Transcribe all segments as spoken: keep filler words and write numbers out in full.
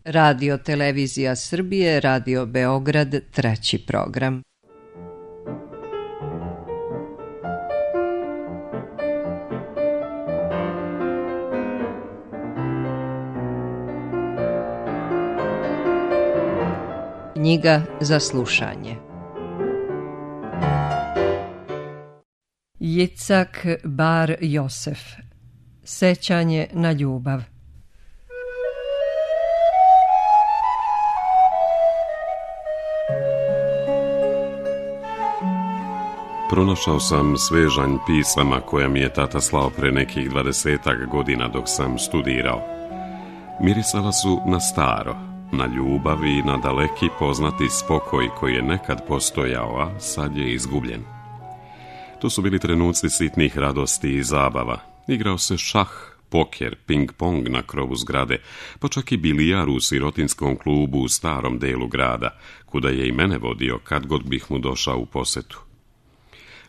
Radio Televizija Srbije, Radio Beograd, treći program. Knjiga za slušanje. Jicak Bar Josef. Sećanje na ljubav. Pronašao sam svežanj pisama koja mi je tata slao pre nekih dvadesetak godina dok sam studirao. Mirisala su na staro, na ljubav i na daleki poznati spokoj koji je nekad postojao, a sad je izgubljen. To su bili trenuci sitnih radosti i zabava. Igrao se šah, poker, ping-pong na krovu zgrade, pa čak i bilijar u sirotinskom klubu u starom delu grada, kuda je i mene vodio kad god bih mu došao u posetu.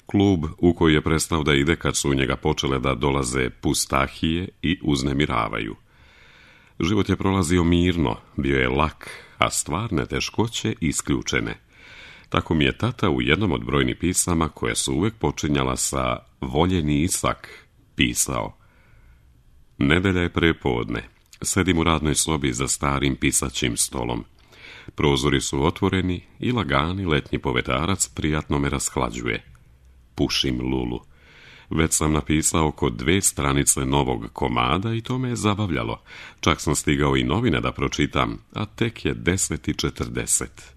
Klub u koji je prestao da ide kad su u njega počele da dolaze pustahije i uznemiravaju. Život je prolazio mirno, bio je lak, a stvarne teškoće isključene. Tako mi je tata u jednom od brojnih pisama, koje su uvek počinjala sa voljeni Isak, pisao: Nedelja je prepodne, sedim u radnoj sobi za starim pisaćim stolom. Prozori su otvoreni i lagani letnji povetarac prijatno me rashlađuje. Pušim lulu. Već sam napisao oko dve stranice novog komada i to me je zabavljalo. Čak sam stigao i novine da pročitam, a tek je deset i četrdeset.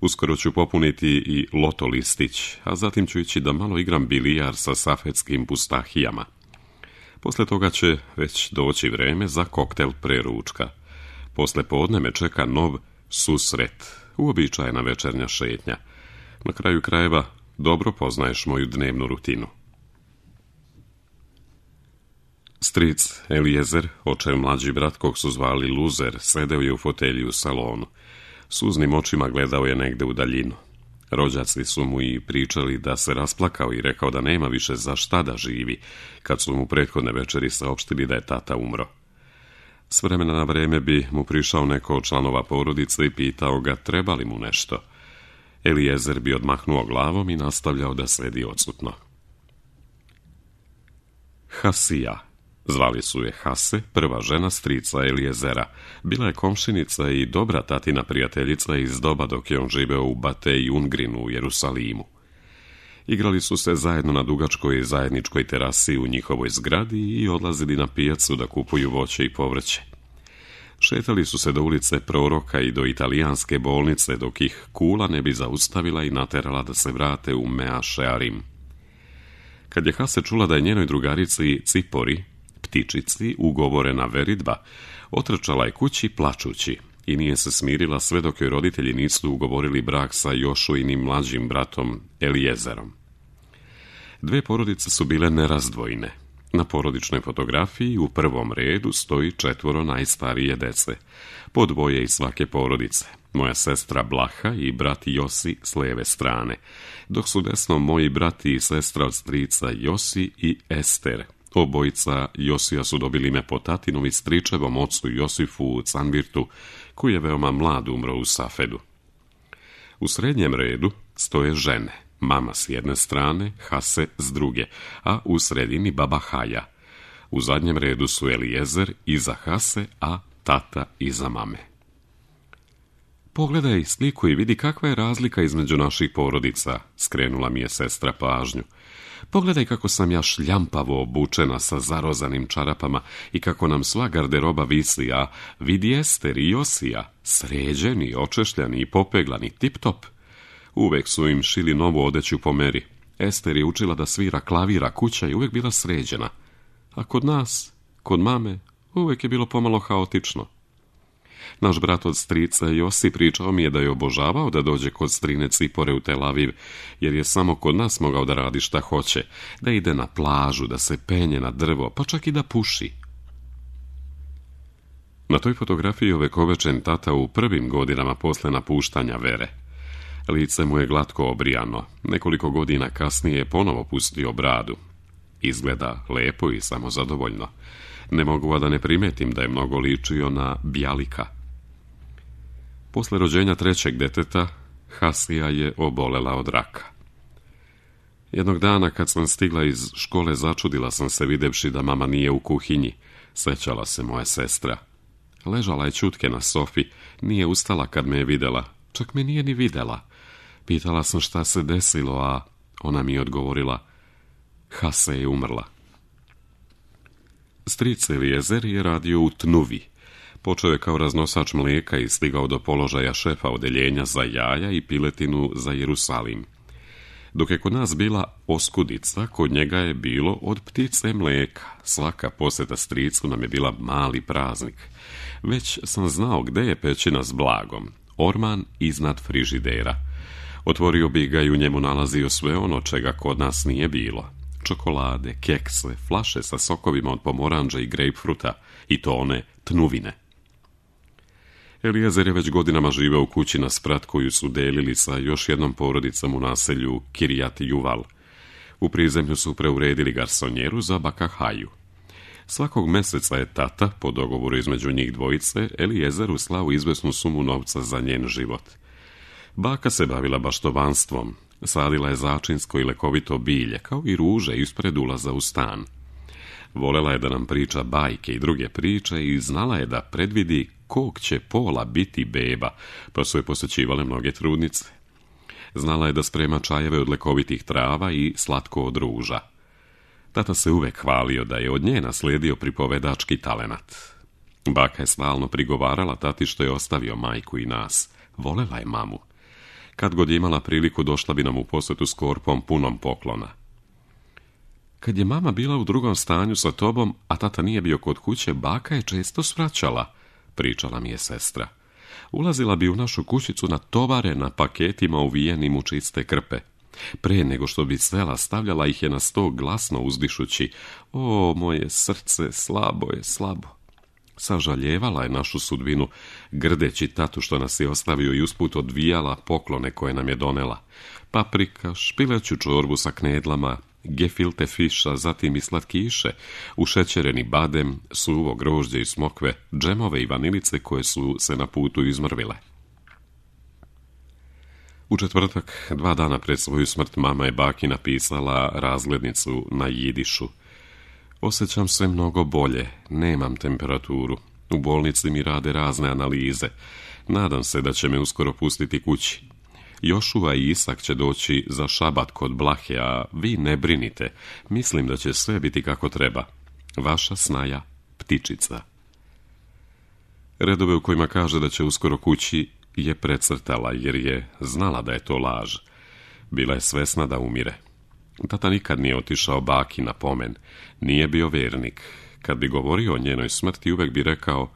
Uskoro ću popuniti i loto listić, a zatim ću ići da malo igram bilijar sa safetskim pustahijama. Posle toga će već doći vreme za koktel pre ručka. Posle podne me čeka nov susret, uobičajena večernja šetnja. Na kraju krajeva dobro poznaješ moju dnevnu rutinu. Stric Elijezer, očev mlađi brat kog su zvali Luzer, sedeo je u fotelji u salonu. Suznim očima gledao je negde u daljinu. Rođaci su mu i pričali da se rasplakao i rekao da nema više za šta da živi, kad su mu prethodne večeri saopštili da je tata umro. S vremena na vreme bi mu prišao neko od članova porodice i pitao ga treba li mu nešto. Elijezer bi odmahnuo glavom i nastavljao da sedi odsutno. Hasija, zvali su je Hase, prva žena strica Elijezera, bila je komšinica i dobra tatina prijateljica iz doba dok je on živeo u Batej Ungrinu u Jerusalimu. Igrali su se zajedno na dugačkoj zajedničkoj terasi u njihovoj zgradi i odlazili na pijacu da kupuju voće i povrće. Šetali su se do ulice Proroka i do italijanske bolnice dok ih kula ne bi zaustavila i naterala da se vrate u Mea Shearim. Kad je Hase čula da je njenoj drugarici Cipori, ptičici, ugovorena veridba, otrčala je kući plačući i nije se smirila sve dok joj roditelji nisu ugovorili brak sa Jošuinim mlađim bratom Elijezerom. Dve porodice su bile nerazdvojne. Na porodičnoj fotografiji u prvom redu stoji četvoro najstarije dece, po dvoje iz svake porodice, moja sestra Blaha i brat Josi s lijeve strane, dok su desno moji brati i sestra od strica Josi i Ester. Obojica Josija su dobili ime po tatinom i stričevom ocu Josifu u Canvirtu, koji je veoma mlad umro u Safedu. U srednjem redu stoje žene, mama s jedne strane, Hase s druge, a u sredini baba Haja. U zadnjem redu su Elijezer iza Hase, a tata iza mame. Pogledaj sliku i vidi kakva je razlika između naših porodica, skrenula mi je sestra pažnju. Pogledaj kako sam ja šljampavo obučena sa zarozanim čarapama i kako nam sva garderoba visi, a vidi Ester i Josija, sređeni, očešljani i popeglani, tip-top. Uvek su im šili novu odeću po meri. Ester je učila da svira klavira, kuća i uvek bila sređena. A kod nas, kod mame, uvek je bilo pomalo haotično. Naš brat od strica Josi pričao mi je da je obožavao da dođe kod strine Cipore u Tel Aviv, jer je samo kod nas mogao da radi šta hoće, da ide na plažu, da se penje na drvo, pa čak i da puši. Na toj fotografiji ovekovečen tata u prvim godinama posle napuštanja vere. Lice mu je glatko obrijano, nekoliko godina kasnije je ponovo pustio bradu. Izgleda lepo i samozadovoljno. Ne mogu a da ne primetim da je mnogo ličio na Bjalika. Posle rođenja trećeg deteta, Hasija je obolela od raka. Jednog dana kad sam stigla iz škole, začudila sam se videvši da mama nije u kuhinji. Sećala se moja sestra. Ležala je ćutke na sofi, nije ustala kad me je videla, čak me nije ni videla. Pitala sam šta se desilo, a ona mi je odgovorila: Hase je umrla. Stric Elijezer je radio u Tnuvi. Počeo je kao raznosač mlijeka i stigao do položaja šefa odeljenja za jaja i piletinu za Jerusalim. Dok je kod nas bila oskudica, kod njega je bilo od ptice mlijeka. Svaka posjeta stricu nam je bila mali praznik. Već sam znao gde je pećina s blagom, orman iznad frižidera. Otvorio bi ga i u njemu nalazio sve ono čega kod nas nije bilo. Čokolade, kekse, flaše sa sokovima od pomoranđa i grejpfruta, i to one Tnuvine. Elijezer je već godinama živeo u kući na sprat koju su delili sa još jednom porodicom u naselju Kirijat Juval. U prizemlju su preuredili garsonjeru za baka Haju. Svakog meseca je tata, po dogovoru između njih dvojice, Elijezeru slao izvesnu sumu novca za njen život. Baka se bavila baštovanstvom, sadila je začinsko i lekovito bilje, kao i ruže ispred ulaza u stan. Volela je da nam priča bajke i druge priče i znala je da predvidi kog će pola biti beba, pa su je posjećivale mnoge trudnice. Znala je da sprema čajeve od lekovitih trava i slatko od ruža. Tata se uvek hvalio da je od nje naslijedio pripovedački talenat. Baka je stalno prigovarala tati što je ostavio majku i nas. Volela je mamu. Kad god je imala priliku, došla bi nam u posjetu s korpom punom poklona. Kad je mama bila u drugom stanju sa tobom, a tata nije bio kod kuće, baka je često svraćala, pričala mi je sestra. Ulazila bi u našu kućicu na tovare na paketima uvijenim u čiste krpe. Pre nego što bi svela, stavljala ih je na sto glasno uzdišući: o, moje srce, slabo je, slabo. Sažaljevala je našu sudbinu, grdeći tatu što nas je ostavio, i usput odvijala poklone koje nam je donela. Paprika, špileću čorbu sa knedlama, gefilte fiša, zatim i slatkiše, ušećereni badem, suvo grožđe i smokve, džemove i vanilice koje su se na putu izmrvile. U četvrtak, dva dana pred svoju smrt, mama je baki napisala razglednicu na jidišu. Osjećam se mnogo bolje, nemam temperaturu. U bolnici mi rade razne analize. Nadam se da će me uskoro pustiti kući. Jošua i Isak će doći za šabat kod Blahe, a vi ne brinite. Mislim da će sve biti kako treba. Vaša snaja Ptičica. Redove u kojima kaže da će uskoro kući je precrtala, jer je znala da je to laž. Bila je svesna da umire. Tata nikad nije otišao baki na pomen. Nije bio vernik. Kad bi govorio o njenoj smrti, uvek bi rekao: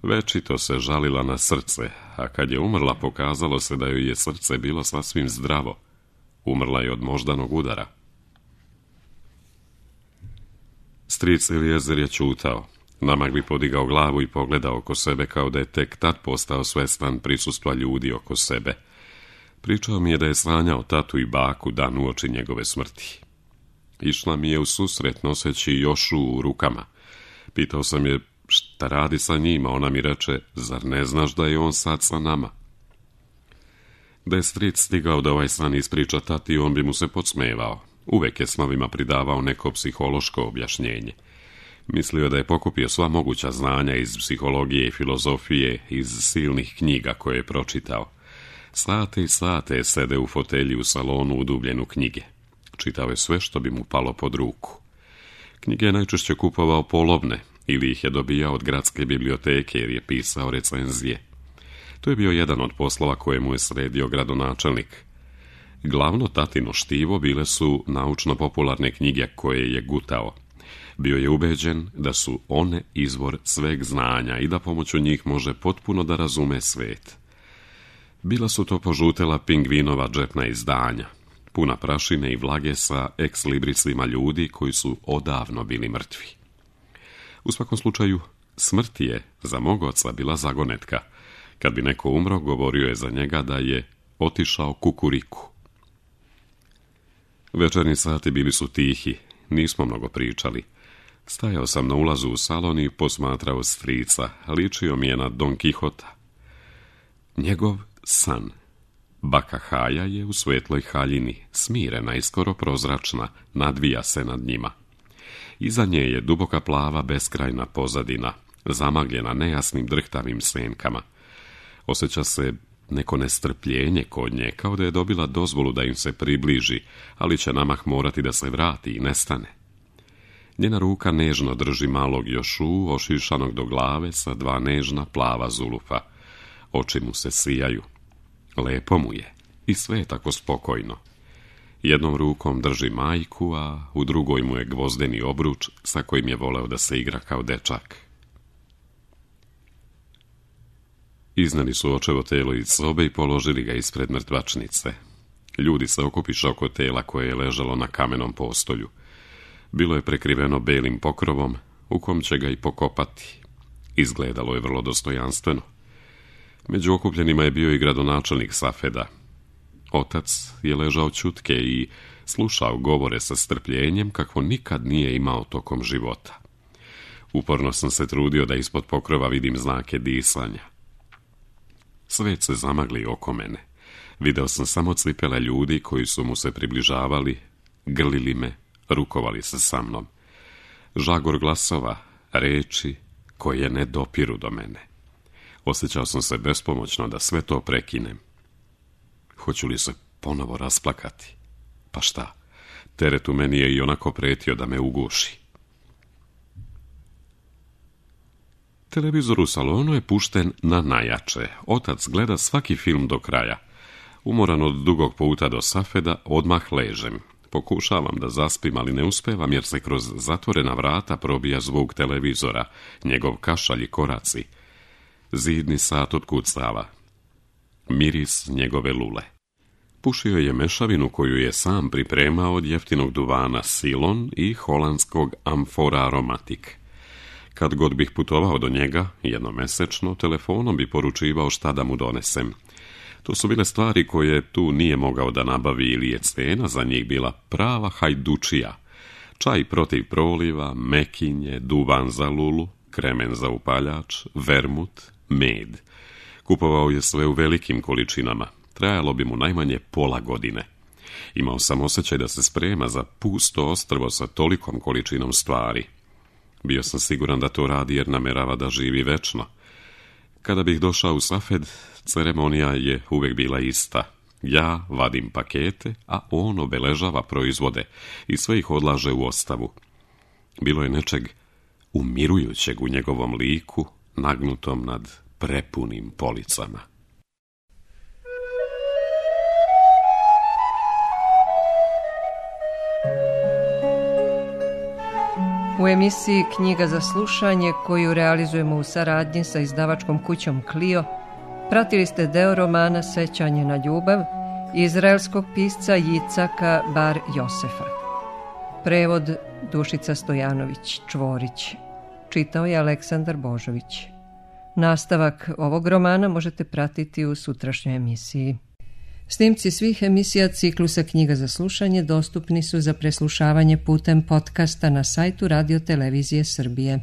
večito se žalila na srce, a kad je umrla, pokazalo se da joj je srce bilo sasvim zdravo. Umrla je od moždanog udara. Stric Elijezer je ćutao. Namak bi podigao glavu i pogledao oko sebe, kao da je tek tad postao svestan prisustva ljudi oko sebe. Pričao mi je da je sanjao tatu i baku dan uoči njegove smrti. Išla mi je u susret noseći Jošu u rukama. Pitao sam je šta radi sa njima, ona mi reče: zar ne znaš da je on sad sa nama? Da je stric stigao da ovaj san ispriča tati, on bi mu se podsmevao. Uvek je snovima pridavao neko psihološko objašnjenje. Mislio da je pokupio sva moguća znanja iz psihologije i filozofije, iz silnih knjiga koje je pročitao. Sate i sate je sede u fotelji u salonu udubljen u knjige. Čitao je sve što bi mu palo pod ruku. Knjige je najčešće kupovao polovne ili ih je dobijao od gradske biblioteke, jer je pisao recenzije. To je bio jedan od poslova koje mu je sredio gradonačelnik. Glavno tatino štivo bile su naučno-popularne knjige koje je gutao. Bio je ubeđen da su one izvor sveg znanja i da pomoću njih može potpuno da razume svet. Bila su to požutela pingvinova džepna izdanja, puna prašine i vlage sa ekslibrisima ljudi koji su odavno bili mrtvi. U svakom slučaju, smrt je za mog oca bila zagonetka. Kad bi neko umro, govorio je za njega da je otišao kukuriku. Večernji sati bili su tihi, nismo mnogo pričali. Stajao sam na ulazu u salon i posmatrao strica, ličio mi je na Don Kihota. Njegov san. Baka Haja je u svetloj haljini, smirena i skoro prozračna, nadvija se nad njima. Iza nje je duboka plava beskrajna pozadina, zamagljena nejasnim drhtavim senkama. Osjeća se neko nestrpljenje kod nje, kao da je dobila dozvolu da im se približi, ali će namah morati da se vrati i nestane. Njena ruka nežno drži malog Jošu, ošišanog do glave sa dva nežna plava zulufa. Oči mu se sijaju. Lepo mu je i sve je tako spokojno. Jednom rukom drži majku, a u drugoj mu je gvozdeni obruč sa kojim je voleo da se igra kao dečak. Izneli su očevo telo iz sobe i položili ga ispred mrtvačnice. Ljudi se okupiše oko tela koje je ležalo na kamenom postolju. Bilo je prekriveno belim pokrovom, u kom će ga i pokopati. Izgledalo je vrlo dostojanstveno. Među okupljenima je bio i gradonačelnik Safeda. Otac je ležao ćutke i slušao govore sa strpljenjem kakvo nikad nije imao tokom života. Uporno sam se trudio da ispod pokrova vidim znake disanja. Svet se zamagli oko mene. Video sam samo cipele ljudi koji su mu se približavali, grlili me, rukovali se sa mnom. Žagor glasova, reči koje ne dopiru do mene. Osjećao sam se bespomoćno da sve to prekinem. Hoću li se ponovo rasplakati? Pa šta, teret u meni je i onako pretio da me uguši. Televizor u salonu je pušten na najjače. Otac gleda svaki film do kraja. Umoran od dugog puta do Safeda, odmah ležem. Pokušavam da zaspim, ali ne uspevam jer se kroz zatvorena vrata probija zvuk televizora, njegov kašalj i koraci. Zidni sat otkucava. Miris njegove lule. Pušio je mešavinu koju je sam pripremao od jeftinog duvana Silon i holandskog Amfora Aromatik. Kad god bih putovao do njega, jednomesečno, telefonom bi poručivao šta da mu donesem. To su bile stvari koje tu nije mogao da nabavi ili je cena za njih bila prava hajdučija. Čaj protiv proliva, mekinje, duvan za lulu, kremen za upaljač, vermut, med. Kupovao je sve u velikim količinama. Trajalo bi mu najmanje pola godine. Imao sam osjećaj da se sprema za pusto ostrvo sa tolikom količinom stvari. Bio sam siguran da to radi jer namerava da živi večno. Kada bih došao u Safed, ceremonija je uvek bila ista. Ja vadim pakete, a on obeležava proizvode i sve ih odlaže u ostavu. Bilo je nečeg umirujućeg u njegovom liku, nagnutom nad prepunim policama. U emisiji Knjiga za slušanje, koju realizujemo u saradnji sa izdavačkom kućom Clio, pratili ste deo romana Sećanje na ljubav izraelskog pisca Jicaka Bar Josefa. Prevod Dušica Stojanović Čvorić. Čitao je Aleksandar Božović. Nastavak ovog romana možete pratiti u sutrašnjoj emisiji. Snimci svih emisija ciklusa Knjiga za slušanje dostupni su za preslušavanje putem podcasta na sajtu Radio Televizije Srbije.